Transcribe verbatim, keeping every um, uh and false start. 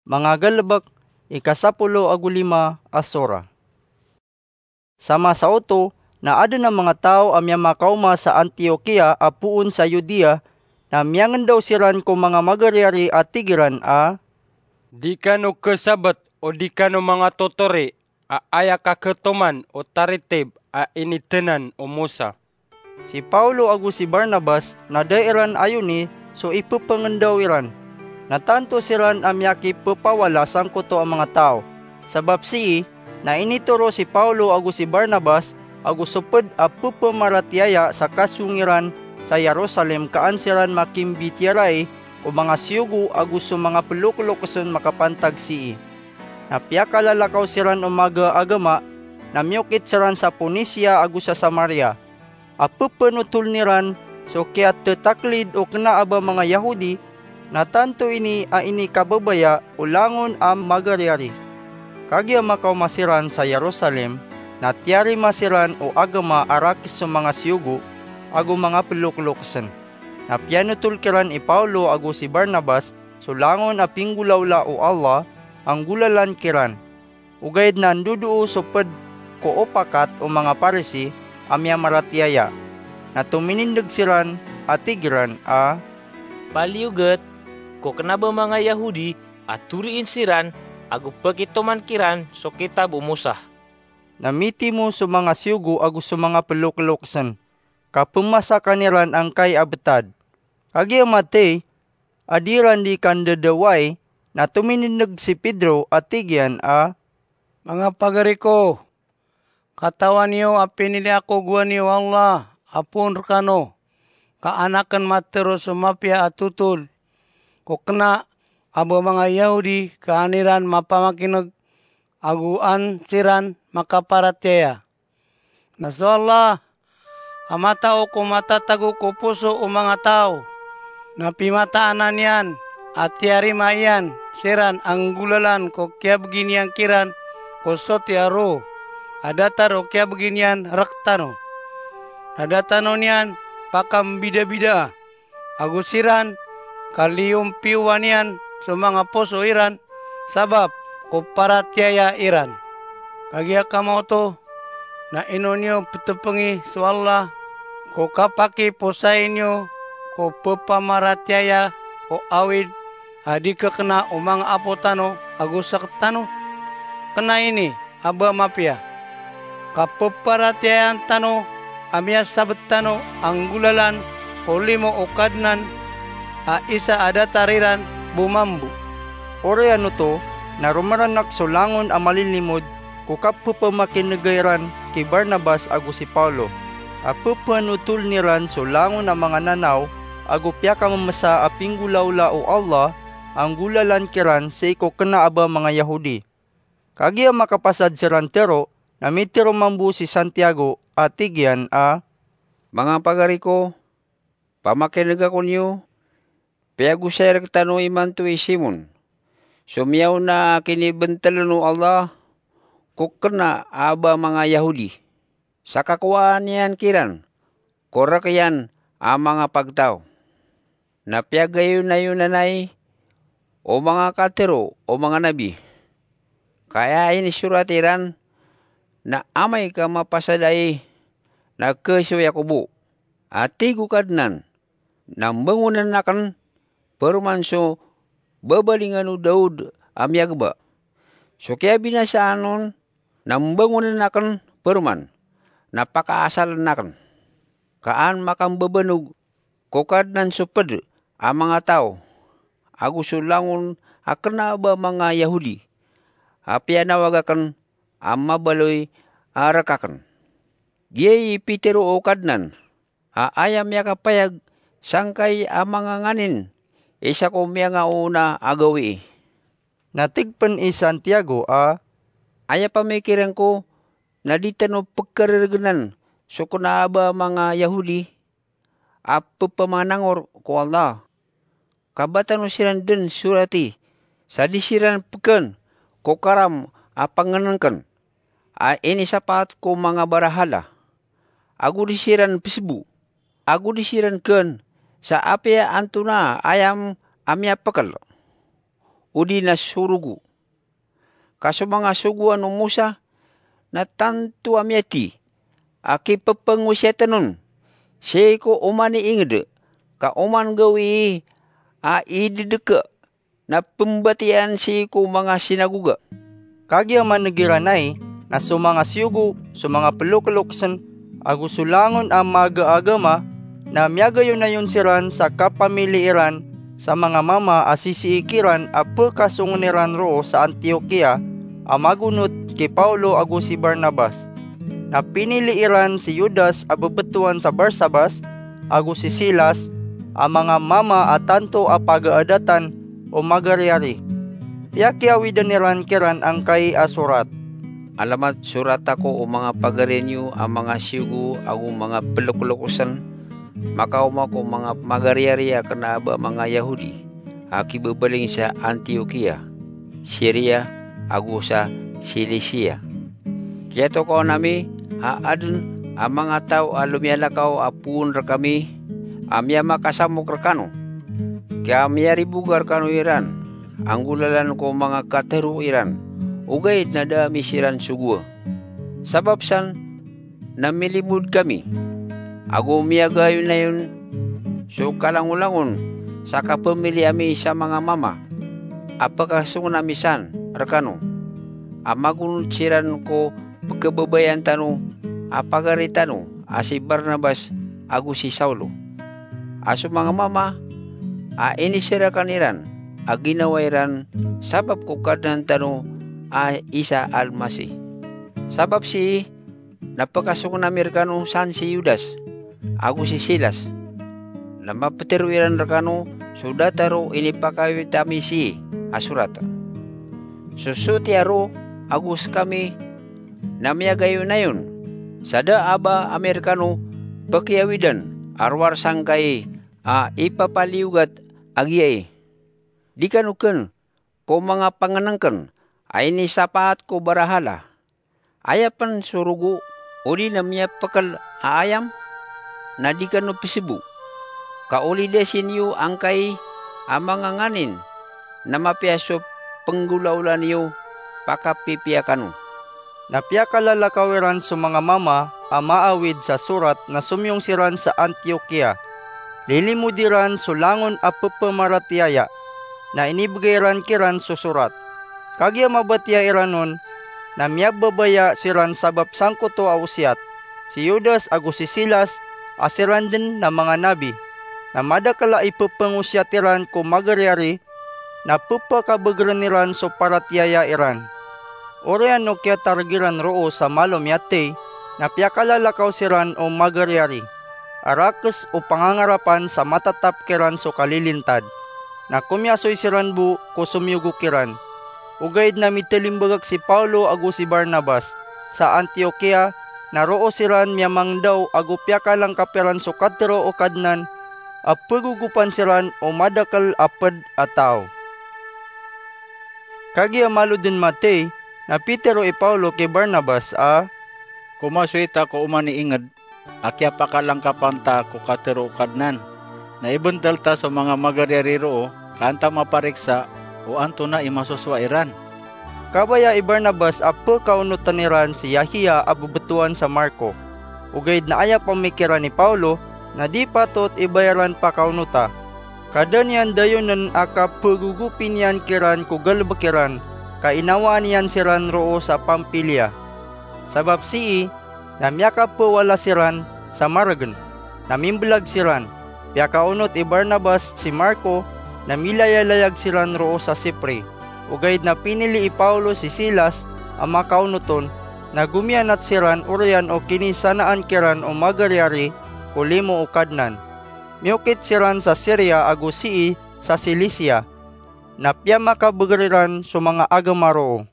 Manga Galbk, ika sapolo ago lima a sora. Sa masa oto na adn a manga taw a miyamakaoma sa Antiokia a poon sa Judea, na miyangndaw siran ko manga magariyari a tig iran a, "Di kano khasabt o di kano manga totori a aya kakhatoman o taritib a inithanan o Mosa." Si Paulo ago si Barnabas na da iran ayoni so ipepngndaw iran, na tanto siran a miyakipepawala sangkoto a manga taw. Sabap sii na initoro si Paulo ago si Barnabas ago so pd a pepamaratiyaya sa kasong iran sa Jerusalem ka an siran makimbitiyarai o manga siyogo ago so manga ploklokesn makapantag sii. Na piyakalalakaw siran o maga a agama, na miyokit siran sa Ponisia ago sa Samaria. A pepanothol iran so kiyatetaklid o kna a ba manga Yahudi, na tanto ini a inikababaya o langon a magariyari. Kagiya makaoma siran sa Jerusalem, na tiyarima siran o agama a rakes so manga siyogo ago manga ploklokesn. Na piyanothol kiran i Paulo ago si Barnabas so langon a pinggolawla o Allah a nggolalan kiran. Ogaid na ndodoo so pd ko opakat o manga Parisi a miyamaratiyaya. Na tominindg siran a tig iran a, "Paliyogat ko kna a ba manga Yahudi a toriin siran ago pakitoman kiran so kitab o Mosa." Na mitimo so manga siyogo ago so manga ploklokesn, ka pemasakan iran angkai a btad. Kagiya mathay a di iran di kandadawai, na tominindg si Pedro a tig iyan a, "Manga pagari ko, katawan iyo a pinili ako gowani o Allah a poon rekano, ka an aken matero so mapiya a totol ko kna a ba manga Yahudi ka an iran mapamakineg ago an siran makaparatiyaya. Na so Allah a matao ko matatago ko poso o manga taw, na pimataanan iyan a tiyarima iyan siran a nggolalan ko kiyabgi niyan kiran ko soti a roo a datar o kiyabgi niyan rektano. Na da tano niyan pakambidabidaa, ago siran ka liyompiyowan iyan so manga poso iran sabap ko paratiyaya iran. Kagiya kama oto, na ino niyo petepengi so Allah ko kapakiposai niyo ko pepamaratiyaya o awid a di kekena o manga apo tano ago sekt tano? Kena ini a ba mapiya. Kapeparatiyayaan tano a miyasabt tano a nggolalan o limo o Kadnan a isa a datar iran bo mambo." Oriyan oto na romaranak so langon a malilimod ko kapepamakinega iran ki Barnabas ago si Paulo, a pepanotol iran so langon a manga nanaw ago piyakamemesa a pinggolawla o Allah a nggolalan kiran sii ko kena a ba manga Yahudi. Kagiya makapasad siran tero, na mitero mambo si Santiago a tig iyan a, "Manga pagari ko, pamakinega ko niyo, piyagosay rektano imanto i Simon, so miyaona a kinibentelen o Allah ko kena a ba manga Yahudi, sa kakowaan iyan kiran ko rek iyan a manga pagtaw. Na piyagayonayonanay o manga katero o manga nabi, ka aya inisorat iran na amay ka mapasad ai na khasoya ko bo. A tig o Kadnan, na mbangonen aken paroman so babalingan o Daod a miyageba. So kiyabinasaan on na mbangonen aken paroman na pakaasalen aken. Ka an makambabanog ko Kadnan so ped a manga taw ago so langon a kena a ba manga Yahudi a piyanawag aken a mabaloy a rek aken." Giyai i pitero o Kadnan a aya miyakapayag sangkai a manga nganin isa ko miyangaoona a gawii. Na tig pen i Santiago a, "Aya pamikiren ko na di tano pekareregenan so kena a ba manga Yahudi a pepamanangor ko Allah. Ka ba tano siran den sorati sa di siran peken ko karam a pangenengken a inisapaat ko manga barahala, ago di siran pesebo, ago di siran ken sa apiya antonaa aya a miyapekel. odi na so rogo. Ka so manga sogoan o Mosa na tanto a miyati a kipepengosiyatn on sii ko oman i ingd, ka oman gawii a idedeka na pembatiyaan sii ko manga sinagoga. Kagiya maneg iran ai na so manga siyogo, so manga pelokelokesen, ago so langon a maaga a agama, na miyagayonayon siran sa kapamili iran sa manga mama a sisii kiran a pekasongen iran roo sa Antiokia a magonot ki Paulo ago si Barnabas. Na pinili iran si Judas a bebetowan sa Barsabas, ago si Silas, a manga mama a tanto a pagaadatan o magariyari. Piyakiyawidan iran kiran angkai a sorat. Alamat sorat ako o manga pagari niyo a manga siyogo ago manga pelokelokesen, makaoma ko manga magariyari a kena a ba manga Yahudi a kibebaling sa Antiokia, Siria, ago sa Silisia. Kiyatokawan ami a aden a manga taw a lomiyalakaw a poon rekami a miyamakasamok rekano, ka miyariboga rekano iran a nggolalan ko manga katero iran, ogaid na da ami siran sogoa. Sabap san na milimod kami, ago miyagayonayon so kalangolangon sa kapamili ami sa manga mama a pekasongen ami san rekano, a magonot siran ko pekebabayaan tano a pagari tano a si Barnabas ago si Saulo. A so manga mama a iniserakan iran a ginawa iran sabap ko Kadnan tano a isa Almasih. Sabap sii na pekasongen ami rekano san si Judas ago si Silas, na mapetero iran rekano so datar o inipakawit ami sii a sorat. So sotiya roo ago sekami na miyagayonayon, sa da a ba ami rekano pekiyawidan a rowar sangkai a ipapaliyogat a giyai. Di kano ken ko manga pangenengken a inisapaat ko barahala. Aya pen so rogo odi na miyapekel a ayam, na di kano pesebo. Ka olidasi niyo angkai a manga nganin na mapiya so penggolaola niyo pakapipiya kano. Na piyakalalakaw iran so manga mama a maawid sa sorat na somiyong siran sa Antiokia. Lilimod iran so langon a pepamaratiyaya, na inibegay ran kiran so sorat. Kagiya mabatiya iran on, na miyababaya siran sabap sangkoto a osiyat, si Judas ago si Silas, a siran den na manga nabi, na madakel a ipepengosiyat iran ko magariyari, na pepakabegeren iran so paratiyaya iran. Oriyan o kiyatareg iran roo sa malo miyatey, na piyakalalakaw siran o magariyari, a rakes o pangangarapan sa matatap kiran so kalilintad. Na komiyasoy siran bo ko somiyogo kiran. Ogaid na mitelimbagak si Paulo ago si Barnabas sa Antiokia, na roo siran miyamangdaw ago piyakalangkap iran so katero o Kadnan a pegogopan siran o madakel a ped a taw. Kagiya malo den matey, na pitero i Paulo ki Barnabas a, "Komasoy ta ko oman i inged a kiyapakalangkapan ta ko katero o Kadnan, na ibentel ta so manga magariyari roo ka an ta mapariksa o antonaa i masosowa iran." Kabaya i Barnabas a pekaonoten iran si Yahia a bebetowan sa Marko. Ogaid na aya pamikiran i Paulo na di patot i ba iran pakaonota, ka da niyan dayonen a kapegogopi niyan kiran ko galebek iran, ka inawaan iyan siran roo sa Pamfilia. Sabap sii, na miyakapewala siran sa maregen, na mimbelag siran. Piyakaonot i Barnabas si Marko, na milayalayag siran roo sa Sipre. Ogaid na pinili i Paulo si Silas a makaonot on, na gomiyanat siran oriyan o kinisanaan kiran o magariyari ko limo o Kadnan. Miyokit siran sa Siria ago sii sa Silisia, na piyamakabeger iran so manga agama roo.